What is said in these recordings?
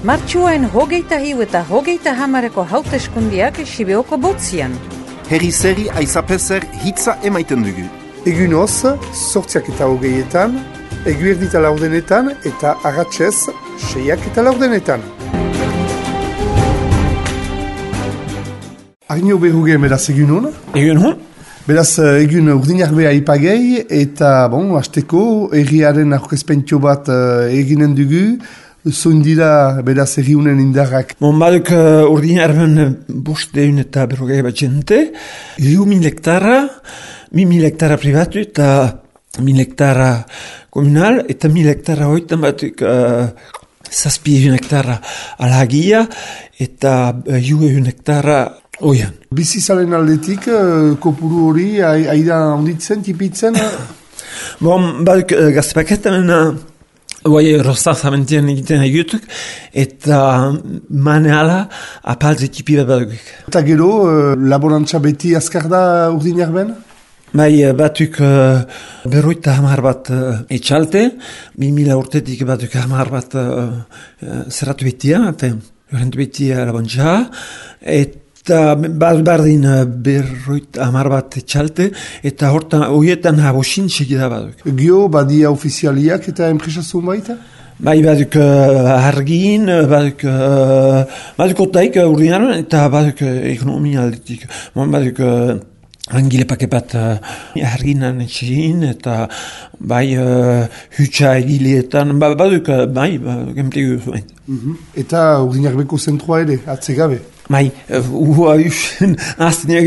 Martxuain 23 eta 30 hauteskundiak Sibeoko botzian. Herri zeri aizapezer hitza emaiten dugu. Egun hoz, 8:20, eguerdita laurdenetan eta arratsez 6:10. Arnio Berruge, beraz egun hon? Egun hon? Beraz egun urdinarbea ipagei eta, hasteko erriaren aurkezpentio bat eginen dugu. Zundira, beraz, erriunen indarrak. Baduk urdinarben bosteun eta berrogei bat jente, 1.000 hektara, 1.000 hektara privatu eta 1.000 hektara komunal, eta 1.000 hektara hoitan batuk 7.000 hektara alhagia eta 1.000 hektara oian. Bizizalen aldetik, kopuru hori, aida onditzen, tipitzen? Baduk gaztepaketan, rostaz amentien egiten egutuk, eta maneala apaltze tipi bat baduk. Eta gero, laborantza beti azkar da urdinarben? Batuk berroita hamar bat etxalte, 2000 urtetik batuk hamar bat zerratu betia, jorentu betia labontza, eta bardin berroita hamar bat etxalte, eta horietan habosin segida baduk. Gio, badia ofizialiak eta enpresazun baita? Baduk argin, baduk otaik urdinaron, eta baduk ekonomia aldetik. Baduk angile pake bat arginan etxein, eta hutsa egilietan, baduk gemtegu zuen. Eta urdinarbeko zentroa ere, atzegabe? Ua usen azteneak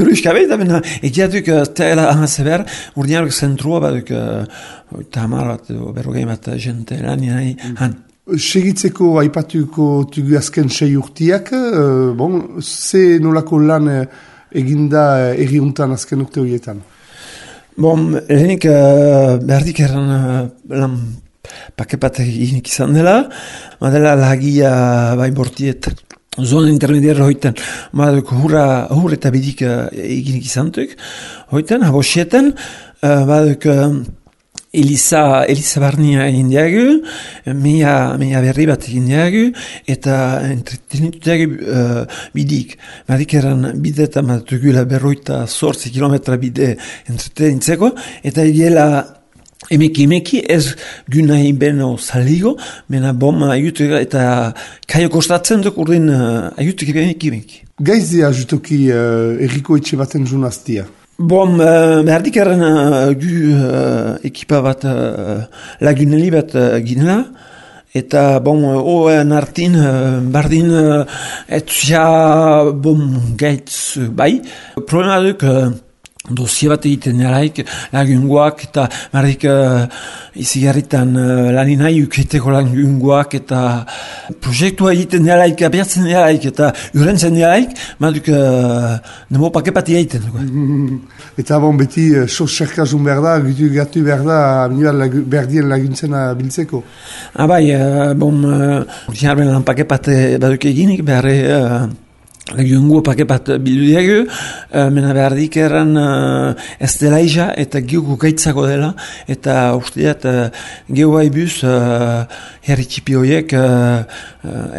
uruzkabe, eta egiatuk tela ahazeber, urdinarbeko zentroa baduk tamar bat, berrogei bat jente lanien han. Segitzeko aipatuko tugu azken 6 urtiak, ze nolako lan eginda erriuntan azken urte horietan? Lehenik berdik erran lan pakepat eginik izan dela, madela lagia bortiet zona intermediarra hoitan, hur eta bidik eginik izantuk, hoitan, habosietan, Elisa Barnia egin diagu, meia berri bat egin diagu, eta entretenitu diagu bidik. Badik eran bide eta matugula berroita 8 kilometra bide entretenitzeko, eta egiela emeki ez gunai beno saligo, mena ayutu eta kaio kostatzen duk urdin ayutuk emeki. Gaizia jutoki erriko etxe baten junaztia? Berdik erren gu ekipa bat laguneli bat ginela, eta oen artin bardin etzia gaitz bai. Problema duk dosia bat egiten nelaik, lagungoak, eta berdik izigarritan laninai uketeko lagungoak, eta proiektua egiten nelaik, abiatzen nelaik, eta urentzen nelaik, baduk nemo pakepati egiten. Eta beti sos-serkazun behar da, gatu behar da, berdien laguntzen biltzeko? Urtinarben lan pakepate baduk eginik, behar lagungo pakepat bildu diagu, mena berdik erran ez dela iza, eta geoko gaitzako dela, eta usteat geoa ibuz herri txipi horiek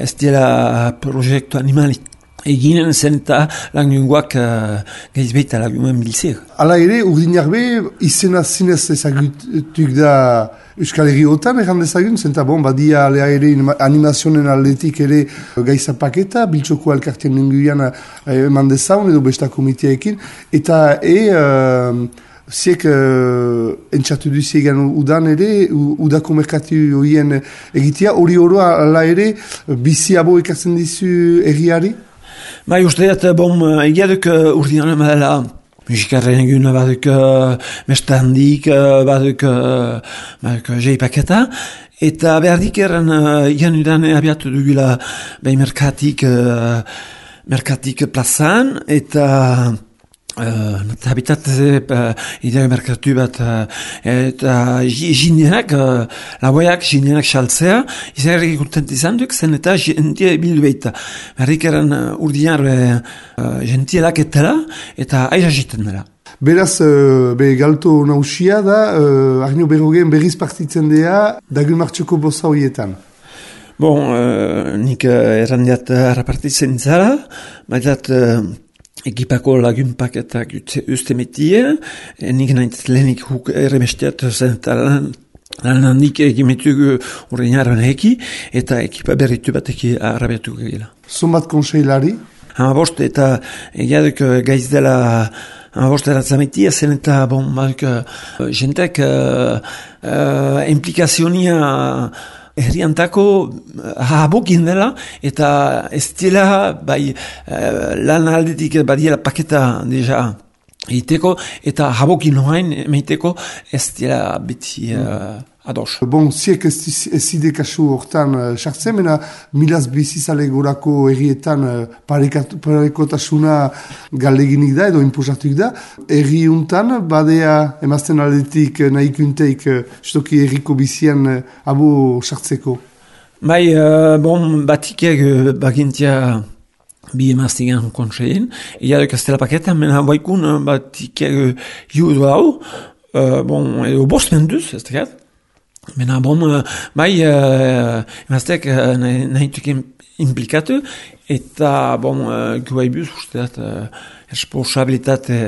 ez dela proiektu animalik. Eginen zen eta lagungoak gaizbeita lagungoen biltzea. Hala ere, urdinarbe izena zinez ezagutuk da Euskal Herriotan, erran dezagun, zenta badia alea ere animazionen aldetik ere gaizapaketa, biltxoko elkartien nenguian eman dezaun edo besta komiteaekin, eta ziek entxatu duziegan udan ere, udako merkatu horien egitea, hori oroa ala ere biziabo ekatzen dizu erriari? Usteat, egiaduk urdinanen badela musikarren egun, baduk mesta handik, baduk jeipaketa, eta behardik erran janudan abiatu dugula merkatik plazan, eta habitat idea merkatu bat eta jinenak, laboiak jinenak saltzea, izan kontent izan duk, zen eta jentia bildu behita. Berrik eran urdinar jentielak etela eta aiza jiten dela. Beraz, galto nausia da, Arnio Berrogeen berriz partitzen dea, dagun martxoko boza horietan. Bon, nik errandiat harrapartitzen zara, baitat ekipako lagunpak eta uste metie, nik nahiz lehenik huk erremesteat zen lan handik egimetugu urreinaren eki, eta ekipa berritu bateki arrabiatuko gila. Zumbat konseilari? Bost, eta egiaduk gaiz dela bost eratzametia zen eta jentek implikazionia herriantako habokin dela, eta ez dela lan aldetik badiela paketa deja egiteko, eta habokin noain meiteko ez dela beti ados. Bon, ziek ez zide kasu hortan sartzen, mena milaz bizizale gorako errietan parekotasuna galdeginik da, edo impulsatuik da. Erri untan, badea emazten aldetik nahikunteik justoki erriko bizian abo sartzeko. Batikek bagintia bi emaztigan kontsein, iadok ez dela paketa, mena baikun batikek judu hau, edo bost menduz, ez tekat. Mena emaztek nahituk implikatu, eta guaibuz usteat responsabilitate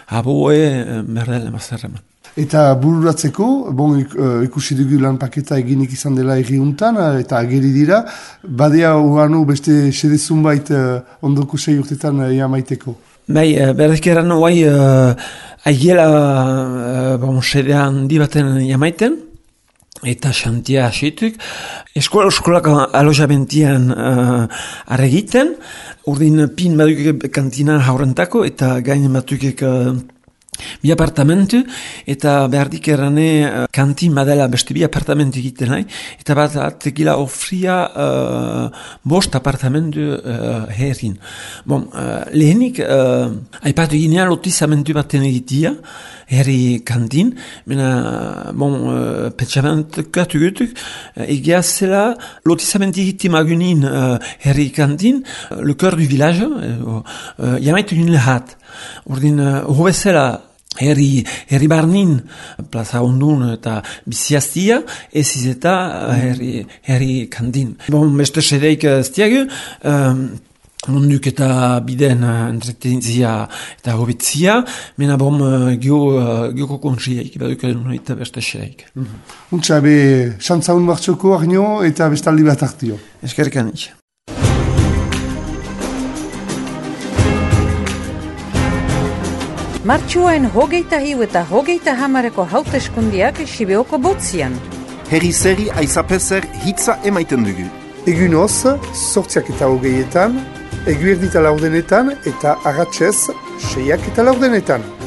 aboe merdel emazerreman. Eta bururatzeko, ikusi dugu lan paketa eginik izan dela erriuntan, eta ageri dira, badea uanu beste sedezun bait ondoko 6 urtetan jamaiteko. Berdezkeran aigiela sedean dibaten jamaiten, eta xantia asituk. Eskolak alojamentian arregiten, urdin pin badukek kantina haurentako, eta gainen batukek bi apartamentu, eta behardik errane kantin badela beste bi apartamentu egiten nahi, eta bat atekila ofria bost apartamentu herrin. Lehenik, aipatu ginean lotizamentu baten egitia, herri kantin, mena, pentsamentukatu gutuk, egia zela lotizamentu egiti magunin herri kantin, le cœur du village, jamaitu nien lehat. Ordin, hobezela herri barnin, plaza ondun eta biziaztia, ez izeta herri kantin. Beste sedeik ez diagu, munduk eta biden entretenizia eta hobitzia, mena geoko konsiaik, baduk eta beste sedeik. Untsa, xantzaun martxoko arnio eta bestaldi bat hartio. Eskerrik anik. Martxuain 21 eta 30 hauteskundiak Sibeoko botzian. Herri-zeri aizapezer hitza emaiten dugu. Egunoz, 8:20, eguerdita laurdenetan eta agatzez 6:10.